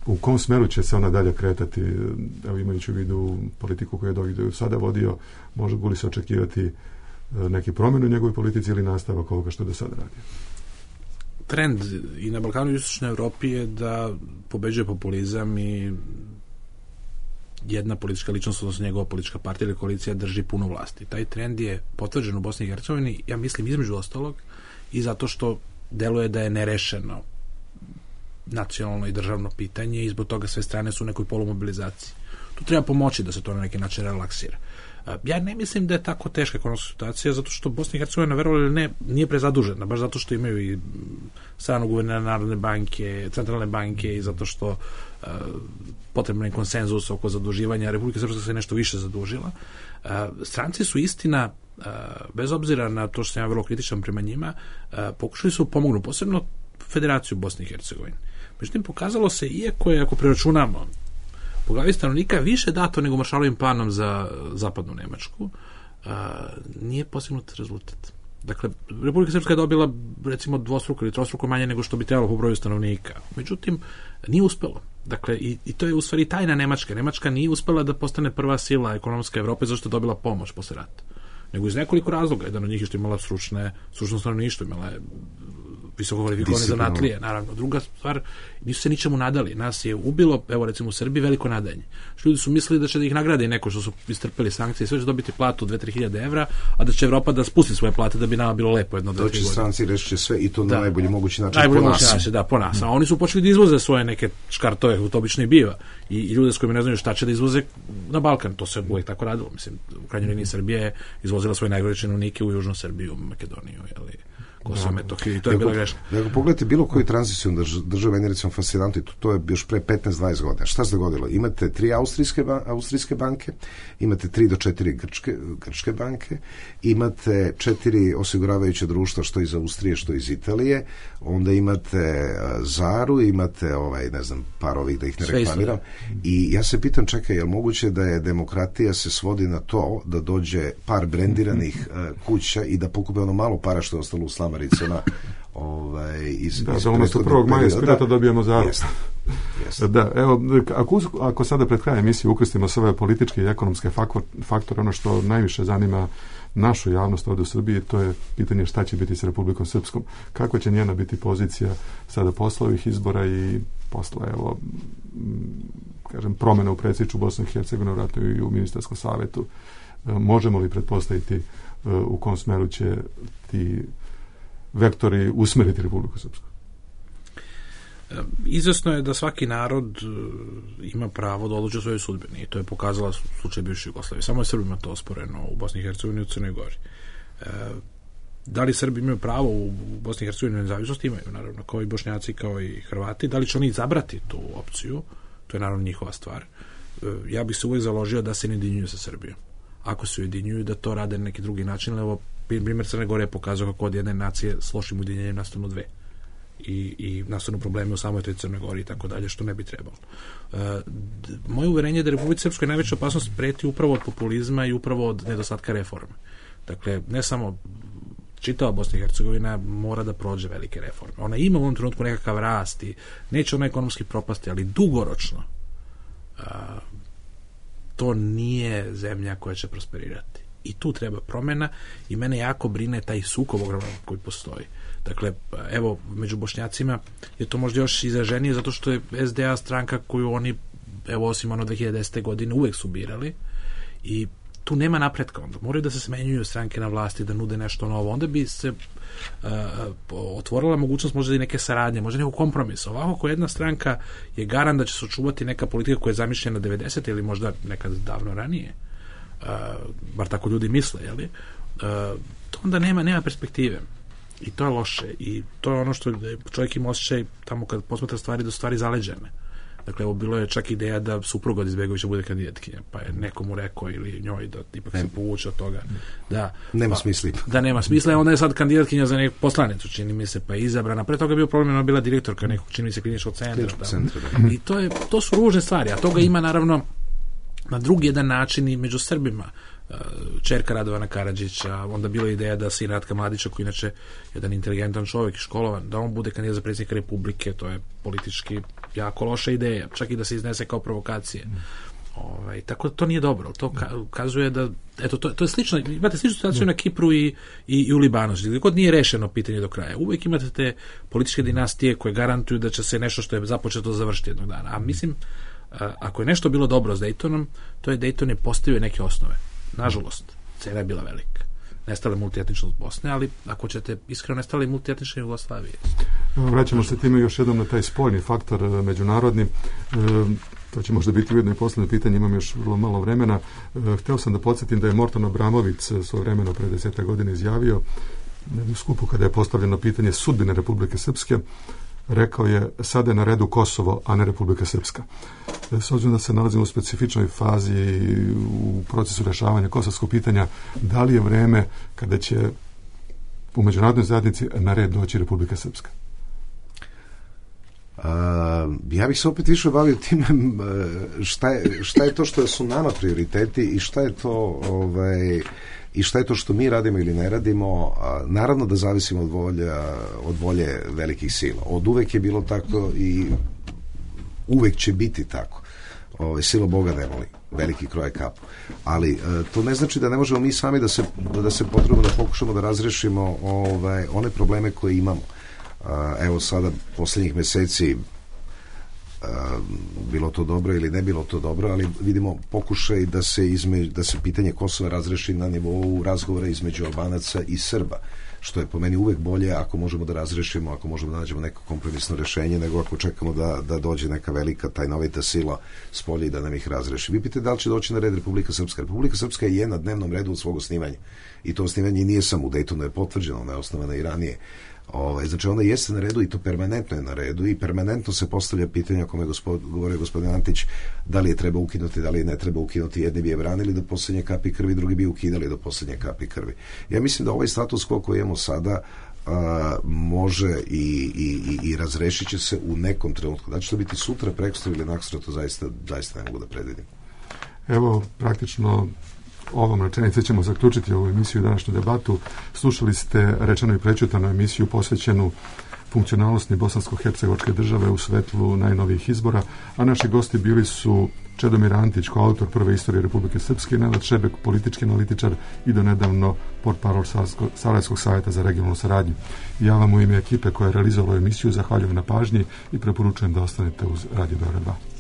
U kom smeru će se ona dalje kretati, evo, imajući u vidu politiku koju je Dodik sada vodio, mogu li se očekivati neki promjenu u njegovoj politici ili nastavak ovoga što do sada radi? Trend i na Balkanu i Istočnoj Evropi je da pobeđuje populizam i jedna politička ličnost, odnosno njegova politička partija ili koalicija drži puno vlasti. Taj trend je potvrđen u Bosni i Hercegovini, ja mislim, između ostalog, i zato što deluje da je nerešeno nacionalno i državno pitanje i zbog toga sve strane su u nekoj polumobilizaciji. Tu treba pomoći da se to na neki način relaksira. Ja ne mislim da je tako teška ekonomska situacija, zato što Bosna i Hercegovina, verovali ili ne, nije prezadužena, baš zato što imaju i stranog guvernera Narodne banke, centralne banke, i zato što potrebno je konsenzus oko zaduživanja. Republika Srpska se nešto više zadužila. Stranci su, istina, bez obzira na to što sam ja vrlo kritičan prema njima, pokušali su pomognu, posebno Federaciju Bosne i Hercegovine. Međutim, pokazalo se, iako je, ako preračunamo, po glavi stanovnika više dato nego Maršalovim planom za zapadnu Nemačku, nije postignut rezultat. Dakle, Republika Srpska je dobila, recimo, dvostruko ili trostruko manje nego što bi trebalo po broju stanovnika. Međutim, nije uspelo. Dakle, i to je u stvari tajna Nemačke. Nemačka nije uspela da postane prva sila ekonomska Evrope zašto je dobila pomoć posle rata. Nego iz nekoliko razloga. Jedan od njih je što imala stručno stanovništvo, imala je visoko kvalifikovane zanatlije, naravno. Druga stvar, nisu se ničemu nadali. Nas je ubilo, evo recimo u Srbiji, veliko nadanje. Ljudi su mislili da će da ih nagrade neko što su istrpeli sankcije i sve će dobiti platu 2-3 hiljade evra, a da će Evropa da spusti svoje plate da bi nama bilo lepo jedno 2-3 godine. Doći stranci reći će sve i to na najbolji mogući način po nas. A oni su počeli da izvoze svoje neke škartove, to obično i biva. I ljude s kojima ne znaju šta će da izvoze na Balkan. To se uvijek tako radilo. Mislim, u krajnjoj liniji Srbije je izvozila svoje najgore činovnike u Južnu Srbiju, Makedoniju, Kosovo, Metohiju, i to je bila greška. Ako pogledate bilo koju tranziciju države, meni recimo fascinantno, to je još pre 15-20 godina. Šta se dogodilo? Imate 3 austrijske banke, imate 3 do 4 grčke banke, imate 4 osiguravajuće društva, što iz Austrije, što iz Italije, onda imate Zaru, imate par ovih, da ih ne reklamiram. I ja se pitam, čekaj, je li moguće da je demokratija se svodi na to da dođe par brendiranih kuća i da pokupe ono malo para što je ostalo u slamaricama da umjesto 1. maja spirata dobijemo Zaru. Da, evo, ako sada pred krajem emisije ukrstimo sve političke i ekonomske faktore, ono što najviše zanima našu javnost ovdje u Srbiji, to je pitanje šta će biti s Republikom Srpskom. Kako će njena biti pozicija sada posle ovih izbora i posle, evo, kažem, promjena u predsjedništvu Bosne i Hercegovine, vratno i u ministarskom savjetu. Možemo li pretpostaviti u kom smeru će ti vektori usmeriti Republiku Srpsku? Izvesno je da svaki narod ima pravo da odluči o svojoj sudbini, i to je pokazala slučaj bivše Jugoslavije. Samo je Srbima to osporeno u Bosni i Hercegovini i u Crnoj Gori. Da li Srbi imaju pravo u Bosni i Hercegovini na nezavisnost? Imaju, naravno, kao i Bošnjaci, kao i Hrvati. Da li će oni izabrati tu opciju? To je naravno njihova stvar. Ja bih se uvijek založio da se ne ujedinjuju sa Srbijom. Ako se ujedinjuju, da to rade na neki drugi način, ali evo, primjer Crne Gore je pokazao kako od jedne nacije s lošim ujedinjenjem nastanu dve. I nastanu probleme u samoj toj Crnoj Gori i tako dalje, što ne bi trebalo. Moje uverenje je da Republici Srpskoj najveća opasnost preti upravo od populizma i upravo od nedostatka reforme. Dakle, ne samo čitava Bosna i Hercegovina mora da prođe velike reforme. Ona ima u ovom trenutku nekakav rast i neće ona ekonomski propasti, ali dugoročno to nije zemlja koja će prosperirati. I tu treba promjena i mene jako brine taj sukob ogroman koji postoji. Dakle, evo, među Bošnjacima je to možda još izraženije zato što je SDA stranka koju oni, evo, osim 2010. godine uvek su birali i tu nema napretka, onda moraju da se smenjuju stranke na vlasti, da nude nešto novo, onda bi se otvorila mogućnost možda i neke saradnje, možda nekog kompromisa. Ovako, ako jedna stranka je garant da će se očuvati neka politika koja je zamišljena 90. ili možda nekad davno ranije, bar tako ljudi misle, jeli? To onda nema perspektive. I to je loše. I to je ono što čovjek ima osjećaj tamo kad posmatra stvari do stvari zaleđene. Dakle, evo bilo je čak ideja da supruga od Izbegovića bude kandidatkinja, pa je nekomu rekao ili njoj da ipak se povuče od toga. Da nema smisla. Da nema smisla, onda je sad kandidatkinja za neku poslanicu, čini mi se, pa je izabrana. Pre toga je bio problem, ona bila direktorka nekog, čini mi se, kliničkog centra. I to su ružne stvari, a toga ima naravno na drugi jedan način i među Srbima. Čerka Radovana Karadžića, onda bila ideja da sin Ratka Mladića, koji inače jedan inteligentan čovjek i školovan, da on bude kandidat za predsjednika Republike, to je politički jako loša ideja, čak i da se iznese kao provokacije. Tako da to nije dobro. To kazuje da, eto, to je slično, imate sličnu situaciju na Kipru i u Libanu, gdje god nije rešeno pitanje do kraja. Uvijek imate te političke dinastije koje garantuju da će se nešto što je započeto završiti jednog dana. A mislim, ako je nešto bilo dobro s Daytonom, to je Dayton je postavio neke osnove. Nažalost, cena je bila velika. Nestala je multietničnost Bosne, ali ako ćete iskreno, nestala je multietnična Jugoslavije. Vraćamo se time još jednom na taj spoljni faktor međunarodni. To će možda biti ujedno i poslednje pitanje, imam još vrlo malo vremena. Hteo sam da podsjetim da je Morton Abramović svoje vremeno pre 10 godina izjavio na jednom skupu kada je postavljeno pitanje sudbine Republike Srpske, rekao je: sada je na redu Kosovo, a ne Republika Srpska. S obzirom da se nalazimo u specifičnoj fazi u procesu rešavanja kosovskog pitanja, da li je vreme kada će u međunarodnoj zajednici na red doći Republika Srpska? Ja bih se opet više bavio time šta je to što su nama prioriteti i šta je to i šta je to što mi radimo ili ne radimo. Naravno da zavisimo od volje velikih sila. Od uvek je bilo tako i uvek će biti tako. Sila Boga ne voli, veliki kroje kapu. Ali to ne znači da ne možemo mi sami da se potrebujemo da pokušamo da razrešimo one probleme koje imamo. Evo sada posljednjih meseci, bilo to dobro ili ne bilo to dobro, ali vidimo pokušaj da se pitanje Kosova razreši na nivou razgovora između Albanaca i Srba, što je po meni uvek bolje ako možemo da razrešimo, ako možemo da nađemo neko kompromisno rešenje, nego ako čekamo da dođe neka velika tajnovita sila s polja i da nam ih razreši. Vi pitate da li će doći na red Republika Srpska. Republika Srpska je na dnevnom redu od svog osnivanja. I to osnivanje nije samo u Daytonu je potvrđeno, ona je osnovana i ranije. Znači ona jeste na redu i to permanentno je na redu i permanentno se postavlja pitanje, o kome govorio gospodin Antić, da li je treba ukinuti, da li je ne treba ukinuti. Jedni bi je branili do posljednje kapi krvi, drugi bi ukidali do posljednje kapi krvi. Ja mislim da ovaj status quo koji imamo sada može i razrešit će se u nekom trenutku. Da će to biti sutra, prekosutra ili naksutra, to zaista ne mogu da predvidim. Evo, praktično ovom rečenicom ćemo zaključiti ovu emisiju i današnju debatu. Slušali ste rečeno i prećutanu emisiju posvećenu funkcionalnosti bosansko-hercegovačke države u svetlu najnovijih izbora, a naši gosti bili su Čedomir Antić, koautor prve istorije Republike Srpske, Nenad Šebek, politički analitičar i donedavno portparol Sarajevskog savjeta za regionalnu saradnju. Ja vam u ime ekipe koja je realizovala emisiju zahvaljujem na pažnji i preporučujem da ostanete uz Radio Beograd 2.